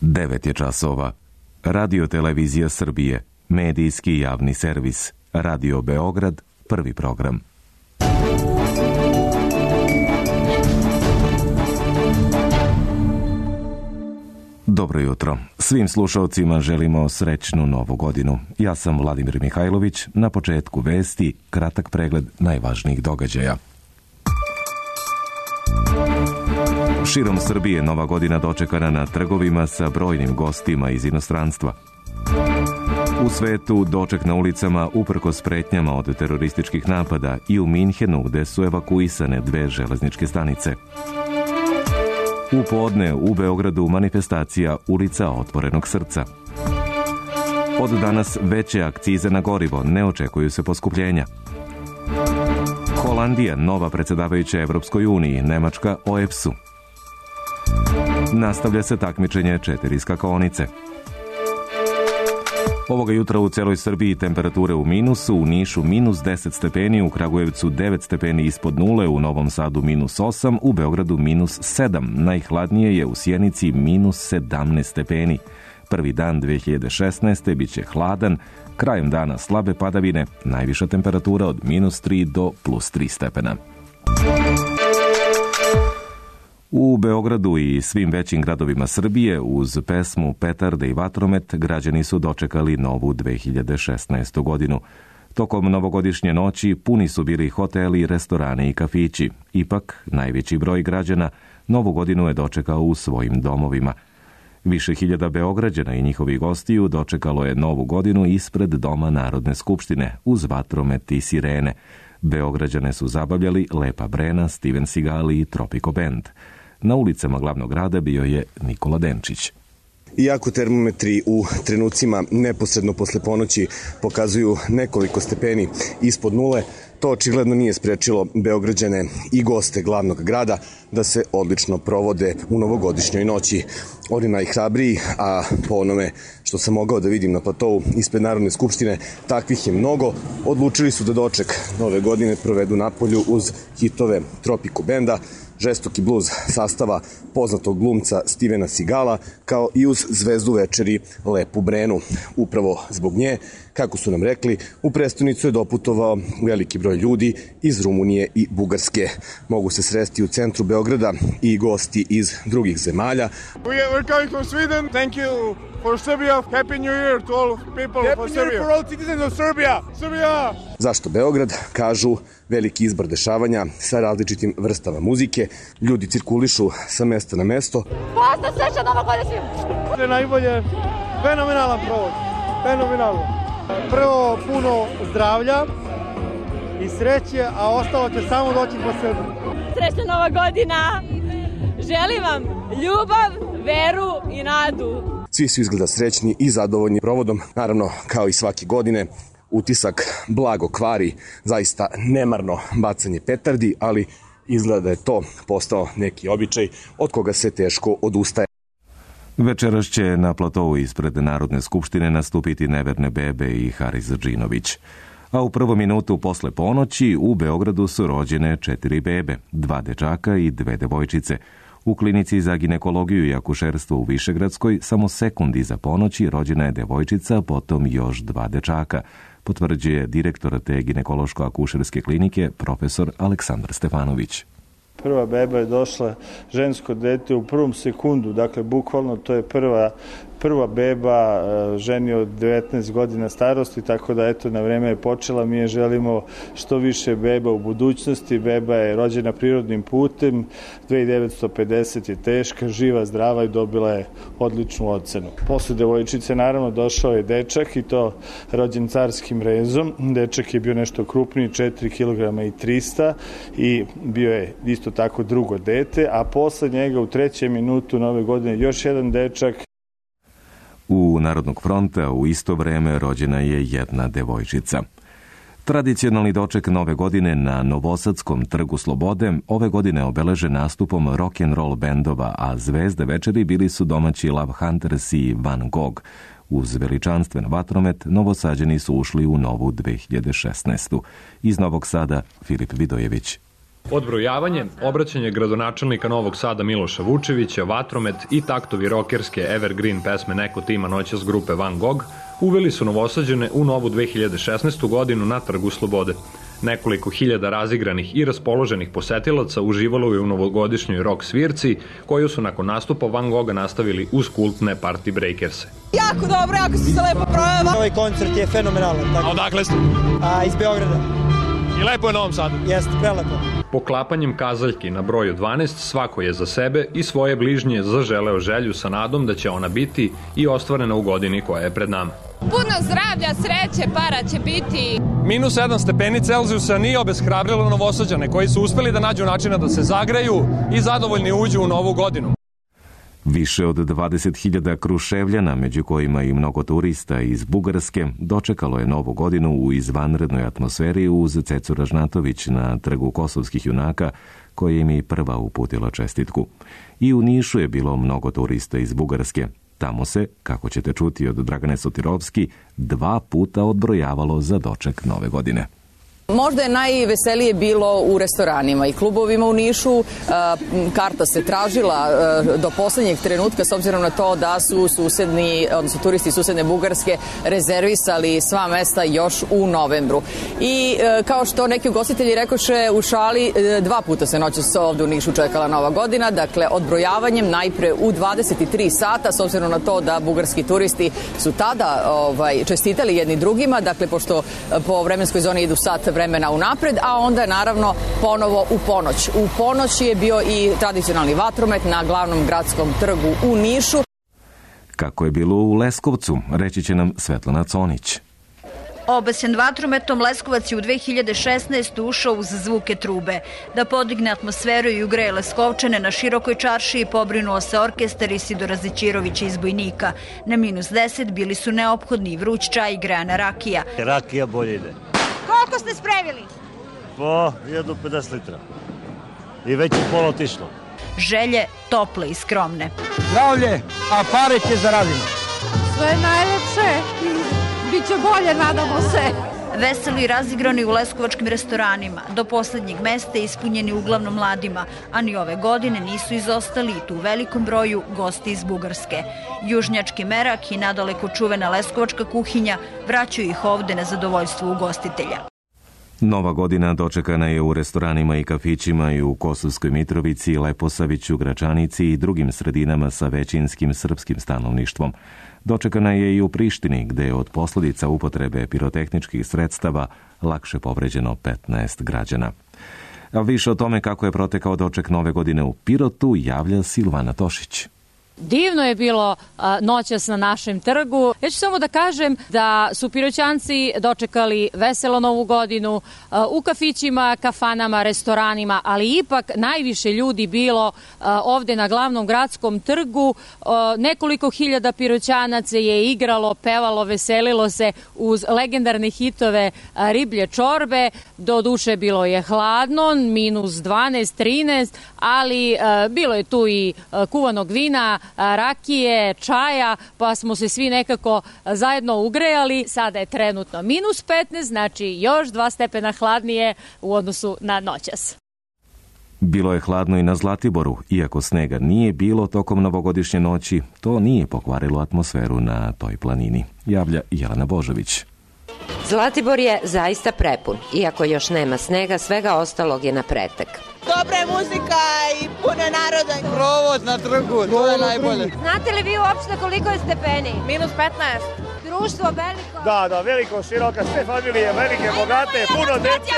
9 je časova. Radio Televizija Srbije, medijski javni servis. Radio Beograd, prvi program. Dobro jutro. Svim slušalcima želimo srećnu novu godinu. Ja sam Vladimir Mihajlović. Na početku vesti, kratak pregled najvažnijih događaja. Širom Srbije nova godina dočekana na trgovima sa brojnim gostima iz inostranstva. U svetu doček na ulicama uprkos pretnjama od terorističkih napada i u Minhenu gde su evakuisane 2 železničke stanice. U podne u Beogradu manifestacija Ulica otvorenog srca. Od danas veće akcize na gorivo, ne očekuju se poskupljenja. Holandija, nova predsjedavajuća Evropskoj uniji, Nemačka OEBS-u. Nastavlja se takmičenje 4 skakaonice. Ovoga jutra u celoj Srbiji temperature u minusu, u Nišu minus 10 stepeni, u Kragujevcu 9 stepeni ispod nule, u Novom Sadu minus 8, u Beogradu minus 7. Najhladnije je u Sjenici minus 17 stepeni. Prvi dan 2016. bit će hladan, krajem dana slabe padavine, najviša temperatura od minus 3 do plus 3 stepena. U Beogradu i svim većim gradovima Srbije uz pesmu, petarde i vatromet građani su dočekali novu 2016. godinu. Tokom novogodišnje noći puni su bili hoteli, restorani i kafići. Ipak, najveći broj građana novu godinu je dočekao u svojim domovima. Više hiljada Beograđana i njihovih gostiju dočekalo je novu godinu ispred Doma Narodne skupštine uz vatromet i sirene. Beograđane su zabavljali Lepa Brena, Steven Seagal i Tropico Band. Na ulicama glavnog grada bio je Nikola Denčić. Iako termometri u trenucima neposredno posle ponoći pokazuju nekoliko stepeni ispod nule, to očigledno nije sprečilo Beograđane i goste glavnog grada da se odlično provode u novogodišnjoj noći. Oni najhrabriji, a po onome što sam mogao da vidim na platovu ispred Narodne skupštine, takvih je mnogo, odlučili su da doček nove godine provedu napolju uz hitove Tropico Banda, žestoki bluz sastava poznatog glumca Stevena Seagala, kao i uz zvezdu večeri Lepu Brenu. Upravo zbog nje, kako su nam rekli, u prestonicu je doputovao veliki broj ljudi iz Rumunije i Bugarske. Mogu se sresti u centru Beograda i gosti iz drugih zemalja. We're coming from Sweden. Thank you for Serbia. Happy New Year to all people of Serbia. Happy New Year for all citizens of Serbia. Serbia! Zašto Beograd? Kažu veliki izbor dešavanja sa različitim vrstama muzike. Ljudi cirkulišu sa mesta na mesto. Pozna sreća Nova godina svim! To je najbolje, fenomenalan provod. Fenomenalno. Prvo puno zdravlja i sreće, a ostalo će samo doći po sebi. Srećna Nova godina! Želim vam ljubav, veru i nadu. Svi su izgleda srećni i zadovoljni provodom. Naravno, kao i svake godine, utisak blago kvari, zaista nemarno bacanje petardi, ali izgleda da je to postao neki običaj od koga se teško odustaje. Večeras će na platovu ispred Narodne skupštine nastupiti Neverne bebe i Haris Džinović. A u prvom minutu posle ponoći u Beogradu su rođene 4 bebe, 2 dečaka i 2 devojčice. U klinici za ginekologiju i akušerstvo u Višegradskoj samo sekund iza ponoći rođena je devojčica, potom još 2 dečaka, potvrđuje direktor te ginekološko-akušerske klinike profesor Aleksandar Stefanović. Prva beba je došla, žensko dete, u prvom sekundu, dakle bukvalno to je prva beba ženi od 19 godina starosti, tako da eto na vreme je počela. Mi je želimo što više beba u budućnosti. Beba je rođena prirodnim putem, 2950 je teška, živa, zdrava i dobila je odličnu ocenu. Posle devojčice naravno došao je dečak i to rođen carskim rezom. Dečak je bio nešto krupniji, 4 kg i 300 i bio je isto tako drugo dete, a posle njega u 3. minutu nove godine još jedan dečak. U Narodnog fronta u isto vreme rođena je jedna devojčica. Tradicionalni doček nove godine na Novosadskom trgu Slobode ove godine obeleže nastupom rock'n'roll bendova, a zvezde večeri bili su domaći Love Hunters i Van Gogh. Uz veličanstven vatromet, Novosađani su ušli u novu 2016. Iz Novog Sada, Filip Vidojević. Odbrojavanje, obraćanje gradonačelnika Novog Sada Miloša Vučevića, vatromet i taktovi rokerske evergreen pesme Neko tima noćas grupe Van Gogh uveli su Novosađane u novu 2016. godinu na Trgu Slobode. Nekoliko hiljada razigranih i raspoloženih posetilaca uživalo je u novogodišnjoj rock svirci, koju su nakon nastupa Van Gogha nastavili uz kultne Party Breakers. Jako dobro, jako se lepo projava. Ovaj koncert je fenomenalan. A odakle ste? Iz Beograda. I lepo je na Novom Sadu? Jeste, prelepo. Poklapanjem kazaljki na broju 12 svako je za sebe i svoje bližnje zaželeo želju sa nadom da će ona biti i ostvarena u godini koja je pred nama. Puno zdravlja, sreće, para će biti. Minus 7 stepeni Celzijusa nije obeshrabrilo Novosađane koji su uspeli da nađu načina da se zagreju i zadovoljni uđu u novu godinu. Više od 20.000 Kruševljana, među kojima i mnogo turista iz Bugarske, dočekalo je novu godinu u izvanrednoj atmosferi uz Cecu Ražnatović na Trgu Kosovskih junaka, koja im je prva uputila čestitku. I u Nišu je bilo mnogo turista iz Bugarske. Tamo se, kako ćete čuti od Dragane Sotirovski, 2 puta odbrojavalo za doček nove godine. Možda je najveselije bilo u restoranima i klubovima u Nišu. Karta se tražila do poslednjeg trenutka s obzirom na to da su turisti susedne Bugarske rezervisali sva mesta još u novembru. I kao što neki ugostitelji rekoše u šali, 2 puta se noćas ovde u Nišu čekala nova godina, dakle odbrojavanjem najpre u 23 sata, s obzirom na to da bugarski turisti su tada čestitali jedni drugima, dakle pošto po vremenskoj zoni idu sat vremena unapred, a onda naravno ponovo u ponoć. U ponoć je bio i tradicionalni vatromet na glavnom gradskom trgu u Nišu. Kako je bilo u Leskovcu, reći će nam Svetlana Conić. Obasjan vatrometom, Leskovac je u 2016. ušao uz zvuke trube. Da podigne atmosferu i ugreje Leskovčane, na širokoj čaršiji pobrinuo se orkestar Isidora Zećirovića iz Bojnika. Na minus 10 bili su neophodni vruć čaj i grejana rakija. Rakija bolje ide. Koliko ste spremili? Po 150 litra. I već je pola otišlo. Želje tople i skromne. Zdravlje, a pare će zaradimo. Sve najlepše i bit će bolje, nadamo se. Veseli i razigrani u leskovačkim restoranima, do poslednjeg mesta ispunjeni uglavnom mladima, a ni ove godine nisu izostali tu u velikom broju gosti iz Bugarske. Južnjački merak i nadaleko čuvena leskovačka kuhinja vraćaju ih ovde na zadovoljstvo ugostitelja. Nova godina dočekana je u restoranima i kafićima i u Kosovskoj Mitrovici, Leposaviću, Gračanici i drugim sredinama sa većinskim srpskim stanovništvom. Dočekana je i u Prištini, gde je od posledica upotrebe pirotehničkih sredstava lakše povređeno 15 građana. A više o tome kako je protekao doček nove godine u Pirotu javlja Silvana Tošić. Divno je bilo noćas na našem trgu. Ja ću samo da kažem da su Piroćanci dočekali veselo novu godinu u kafićima, kafanama, restoranima, ali ipak najviše ljudi bilo ovde na glavnom gradskom trgu. Nekoliko hiljada Piroćanaca je igralo, pevalo, veselilo se uz legendarne hitove Riblje čorbe. Do duše bilo je hladno, minus 12, 13, ali bilo je tu i kuvanog vina, rakije, čaja, pa smo se svi nekako zajedno ugrejali. Sada je trenutno minus 15, znači još 2 stepena hladnije u odnosu na noćas. Bilo je hladno i na Zlatiboru. Iako snega nije bilo tokom novogodišnje noći, to nije pokvarilo atmosferu na toj planini. Javlja Jelena Božović. Zlatibor je zaista prepun. Iako još nema snega, svega ostalog je na pretek. Dobra je muzika i puno naroda. Provod na trgu, to je najbolje. Znate li vi uopšte koliko je stepeni? Minus 15. Društvo veliko? Da, veliko, široka, sve familije, velike, bogate, puno dece.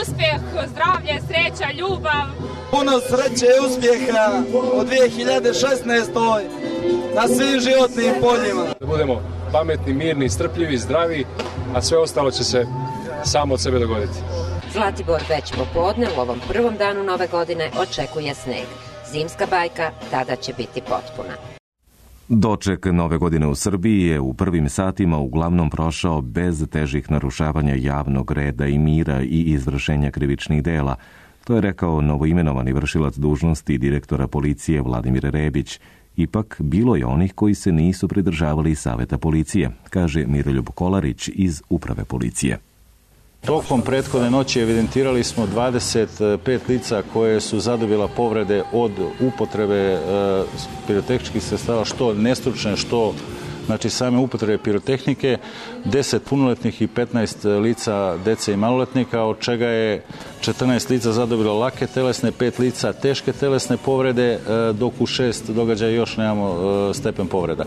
Uspjeh, zdravlje, sreća, ljubav. Puno sreće i uspjeha u 2016. na svim životnim poljima. Da budemo pametni, mirni, strpljivi, zdravi, a sve ostalo će se samo od sebe dogoditi. Zlatibor već popodne u ovom prvom danu nove godine očekuje sneg. Zimska bajka tada će biti potpuna. Doček nove godine u Srbiji je u prvim satima uglavnom prošao bez težih narušavanja javnog reda i mira i izvršenja krivičnih dela. To je rekao novoimenovani vršilac dužnosti direktora policije Vladimir Rebić Ipak, bilo je onih koji se nisu pridržavali saveta policije, kaže Miroljub Kolarić iz Uprave policije. Tokom prethodne noći evidentirali smo 25 lica koje su zadobila povrede od upotrebe pirotehničkih sredstava, što nestručne, što same upotrebe pirotehnike, 10 punoletnih i 15 lica dece i maloletnika, od čega je 14 lica zadobilo lake telesne, 5 lica teške telesne povrede, dok u 6 događaja još nemamo stepen povreda.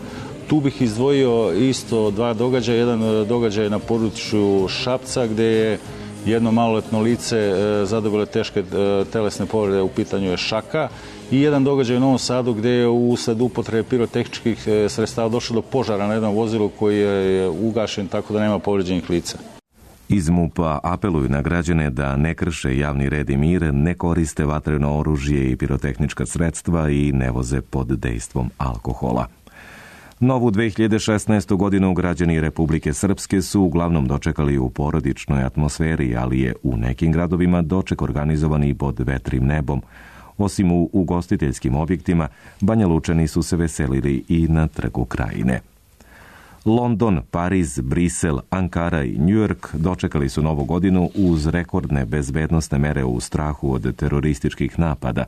Tu bih izdvojio isto dva događaja. Jedan događaj na području Šapca, gde je jedno maloletno lice zadobilo teške telesne povrede, u pitanju je šaka, i jedan događaj u Novom Sadu gde je usled upotrebe pirotehničkih sredstava došlo do požara na jednom vozilu koji je ugašen, tako da nema povređenih lica. Iz MUP-a apeluju na građane da ne krše javni red i mir, ne koriste vatreno oružje i pirotehnička sredstva i ne voze pod dejstvom alkohola. Novu 2016. godinu građani Republike Srpske su uglavnom dočekali u porodičnoj atmosferi, ali je u nekim gradovima doček organizovan i pod vetrim nebom. Osim u ugostiteljskim objektima, Banja Lučani su se veselili i na Trgu Krajine. London, Pariz, Brisel, Ankara i New York dočekali su novu godinu uz rekordne bezbednosne mere u strahu od terorističkih napada.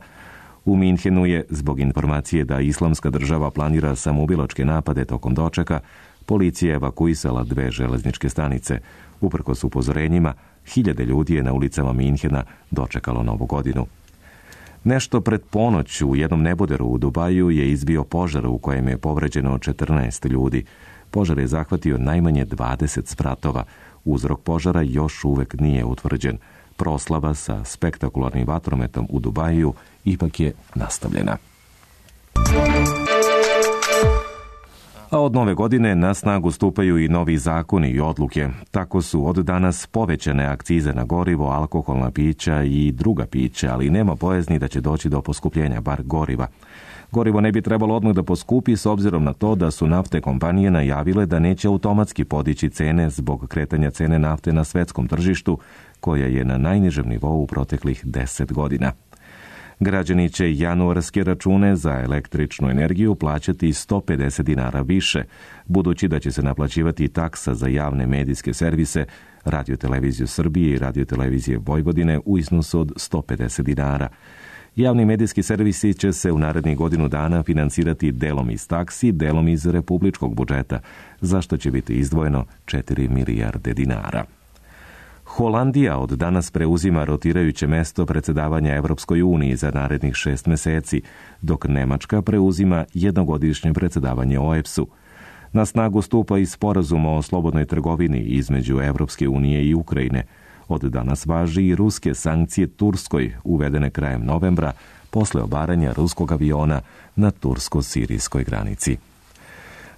U Minhenu je, zbog informacije da Islamska država planira samoubilačke napade tokom dočeka, policija evakuisala 2 železničke stanice. Uprkos upozorenjima, 1000 ljudi je na ulicama Minhena dočekalo novu godinu. Nešto pred ponoć u jednom neboderu u Dubaju je izbio požar u kojem je povređeno 14 ljudi. Požar je zahvatio najmanje 20 spratova. Uzrok požara još uvek nije utvrđen. Proslava sa spektakularnim vatrometom u Dubaju ipak je nastavljena. A od nove godine na snagu stupaju i novi zakoni i odluke. Tako su od danas povećane akcize na gorivo, alkoholna pića i druga pića, ali nema bojazni da će doći do poskupljenja bar goriva. Gorivo ne bi trebalo odmah da poskupi s obzirom na to da su nafte kompanije najavile da neće automatski podići cene zbog kretanja cene nafte na svetskom tržištu, koja je na najnižem nivou u proteklih 10 godina. Građani će januarske račune za električnu energiju plaćati 150 dinara više, budući da će se naplaćivati taksa za javne medijske servise, Radio-televiziju Srbije i Radio-televizije Vojvodine u iznosu od 150 dinara. Javni medijski servisi će se u narednih godinu dana finansirati delom iz taksi, delom iz republičkog budžeta, za što će biti izdvojeno 4 milijarde dinara. Holandija od danas preuzima rotirajuće mesto predsedavanja Evropskoj uniji za narednih 6 meseci, dok Nemačka preuzima jednogodišnje predsedavanje OEBS-u. Na snagu stupa i sporazum o slobodnoj trgovini između Evropske unije i Ukrajine. Od danas važi i ruske sankcije Turskoj, uvedene krajem novembra, posle obaranja ruskog aviona na tursko-sirijskoj granici.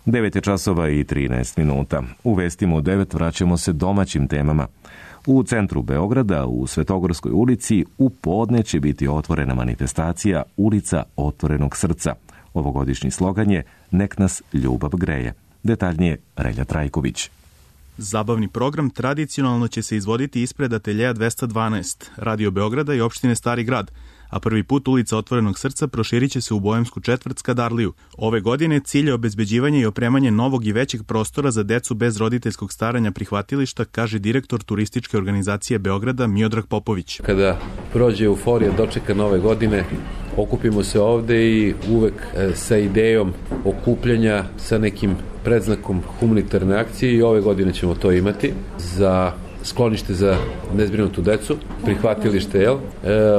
9:13. U vestima u 9 vraćamo se domaćim temama. U centru Beograda, u Svetogorskoj ulici, u podne će biti otvorena manifestacija Ulica otvorenog srca. Ovogodišnji slogan je Nek nas ljubav greje. Detaljnije Relja Trajković. Zabavni program tradicionalno će se izvoditi ispred ateljeja 212, Radio Beograda i opštine Stari grad, a prvi put Ulica otvorenog srca proširit će se u Bojemsku četvrt Skadarliju. Ove godine cilj je obezbeđivanje i opremanje novog i većeg prostora za decu bez roditeljskog staranja prihvatilišta, kaže direktor turističke organizacije Beograda Miodrag Popović. Kada prođe euforija dočeka nove godine, okupimo se ovde i uvek sa idejom okupljanja sa nekim predznakom humanitarne akcije i ove godine ćemo to imati za sklonište za nezbrinutu decu, prihvatilište,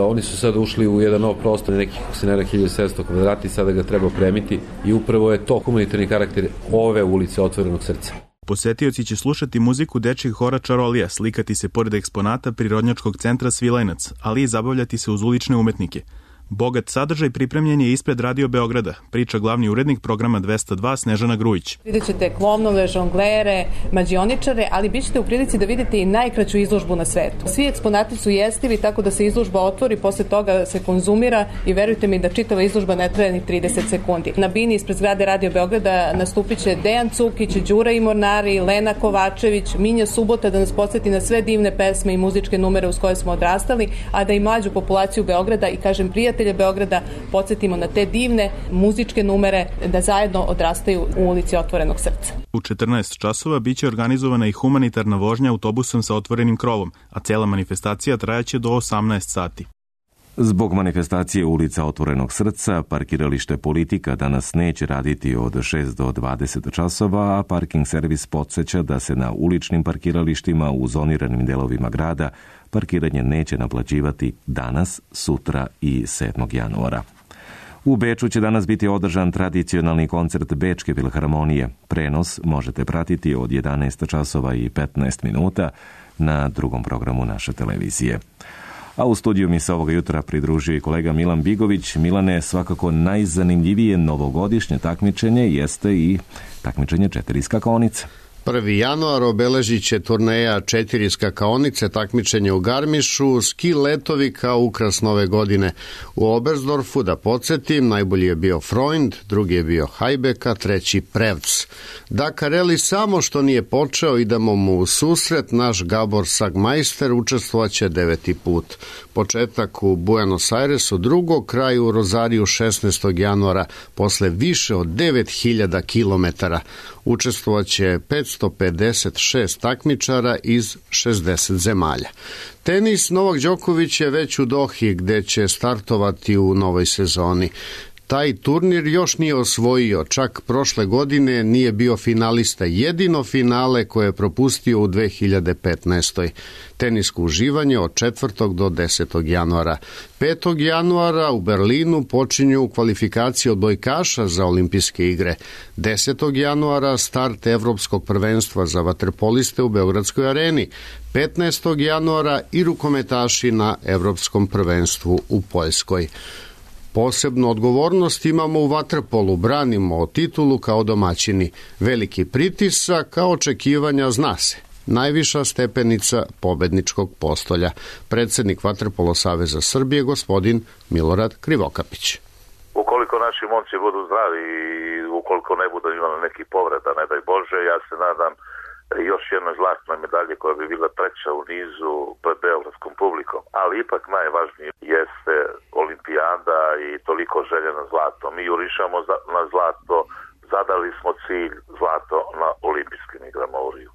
oni su sad ušli u jedan nov prostor, nekih 1700 kvadrata i sada ga treba opremiti i upravo je to humanitarni karakter ove Ulice otvorenog srca. Posetioci će slušati muziku dečjeg hora Čarolija, slikati se pored eksponata Prirodnjačkog centra Svilajnac, ali i zabavljati se uz ulične umetnike. Bogat sadržaj pripremljen je ispred Radio Beograda, priča glavni urednik programa 202 Snežana Grujić. Vidjet ćete klovnove, žonglere, mađioničare, ali bit ćete u prilici da vidite i najkraću izložbu na svetu. Svi eksponati su jestivi, tako da se izložba otvori, posle toga se konzumira i verujte mi da čitava izložba ne traje ni 30 sekundi. Na bini ispred zgrade Radio Beograda nastupit će Dejan Cukić, Đura i Mornari, Lena Kovačević, Minja Subota da nas podsjeti na sve divne pesme i muzičke numere uz koje smo odrastali, a da i mlađu populaciju Beograda i kažem prijatelji žitelje Beograda podsjetimo na te divne muzičke numere da zajedno odrastaju u ulici Otvorenog srca. U 14 časova biće organizovana i humanitarna vožnja autobusom sa otvorenim krovom, a cela manifestacija trajaće do 18 sati. Zbog manifestacije ulica Otvorenog srca, parkiralište Politika danas neće raditi od 6 do 20 časova, a parking servis podsjeća da se na uličnim parkiralištima u zoniranim delovima grada parkiranje neće naplaćivati danas, sutra i 7. januara. U Beču će danas biti održan tradicionalni koncert Bečke filharmonije. Prenos možete pratiti od 11 časova i 15 minuta na drugom programu naše televizije. A u studiju mi se ovoga jutra pridružio i kolega Milan Bigović. Milane, svakako najzanimljivije novogodišnje takmičenje jeste i takmičenje 4 skakaonice. 1. januar obeležit će turneja 4 skakaonice, takmičenje u Garmišu, ski letovi kao ukras nove godine. U Oberstdorfu, da podsjetim, najbolji je bio Freund, drugi je bio Hajbeka, treći Prevc. Dakar Rally samo što nije počeo, idemo mu u susret, naš Gabor Sagmeister učestvovaće 9. put. Početak u Buenos Airesu 2. kraj u Rozariju 16. januara, posle više od 9000 kilometara. Učestvovaće 556 takmičara iz 60 zemalja. Tenis, Novak Đoković je već u Dohi gde će startovati u novoj sezoni. Taj turnir još nije osvojio, čak prošle godine nije bio finalista, jedino finale koje je propustio u 2015. Tenisko uživanje od 4. do 10. januara. 5. januara u Berlinu počinju kvalifikacije odbojkaša za olimpijske igre. 10. januara start Evropskog prvenstva za vaterpoliste u Beogradskoj areni. 15. januara i rukometaši na Evropskom prvenstvu u Poljskoj. Posebnu odgovornost imamo u vaterpolu, branimo titulu kao domaćini. Veliki pritisak, kao očekivanja zna se. Najviša stepenica pobedničkog postolja. Predsjednik Vaterpolo Saveza Srbije, gospodin Milorad Krivokapić. Ukoliko naši momci budu zdravi i ukoliko ne budu imali neki povreda, ne daj Bože, ja se nadam još jedna zlatna medalja koja bi bila treća u nizu pred beogradskom publikom. Ali ipak najvažnije jeste olimpijada i toliko želje na zlato. Mi jurišamo na zlato, zadali smo cilj zlato na olimpijskim igrama u Riju.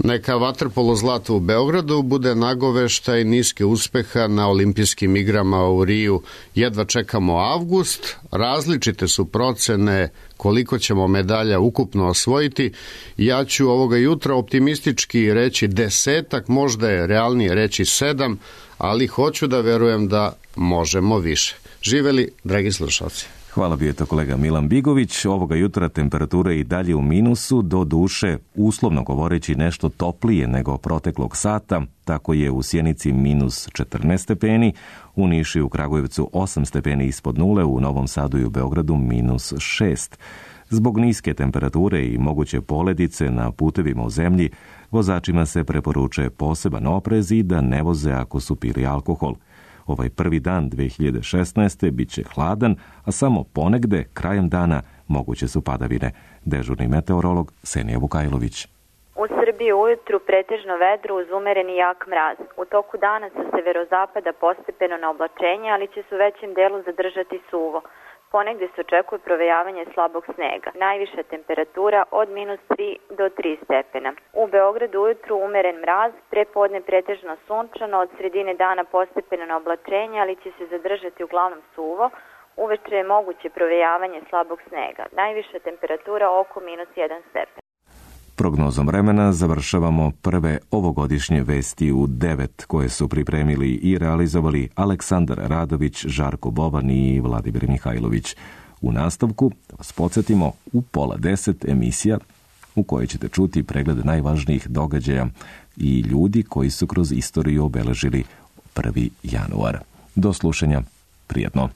Neka vaterpolo zlato u Beogradu bude nagoveštaj niske uspeha na olimpijskim igrama u Riju. Jedva čekamo avgust, različite su procene koliko ćemo medalja ukupno osvojiti. Ja ću ovoga jutra optimistički reći 10, možda je realnije reći 7, ali hoću da verujem da možemo više. Živeli, dragi slušalci. Hvala bio to kolega Milan Bigović. Ovoga jutra temperatura i dalje u minusu, do duše, uslovno govoreći nešto toplije nego proteklog sata. Tako je u Sjenici minus 14 stepeni, u Nišu i u Kragujevcu 8 stepeni ispod nule, u Novom Sadu i u Beogradu minus 6. Zbog niske temperature i moguće poledice na putevima u zemlji, vozačima se preporučuje poseban oprez i da ne voze ako su pili alkohol. Ovaj prvi dan 2016. bit će hladan, a samo ponegde, krajem dana, moguće su padavine. Dežurni meteorolog Senija Vukajlović. U Srbiji ujutru pretežno vedro uz umereni jak mraz. U toku dana sa severozapada postepeno na oblačenje, ali će se u većem delu zadržati suvo. Ponegde se očekuje provejavanje slabog snega. Najviša temperatura od minus 3 do 3 stepena. U Beogradu ujutru umeren mraz, prepodne pretežno sunčano, od sredine dana postepeno na oblačenje, ali će se zadržati uglavnom suvo. Uveče je moguće provejavanje slabog snega. Najviša temperatura oko minus 1 stepen. Prognozom vremena završavamo prve ovogodišnje vesti u 9 koje su pripremili i realizovali Aleksandar Radović, Žarko Boban i Vladimir Mihajlović. U nastavku, da vas podsjetimo, u 9:30 emisija u kojoj ćete čuti pregled najvažnijih događaja i ljudi koji su kroz istoriju obeležili 1. januar. Do slušanja, prijatno.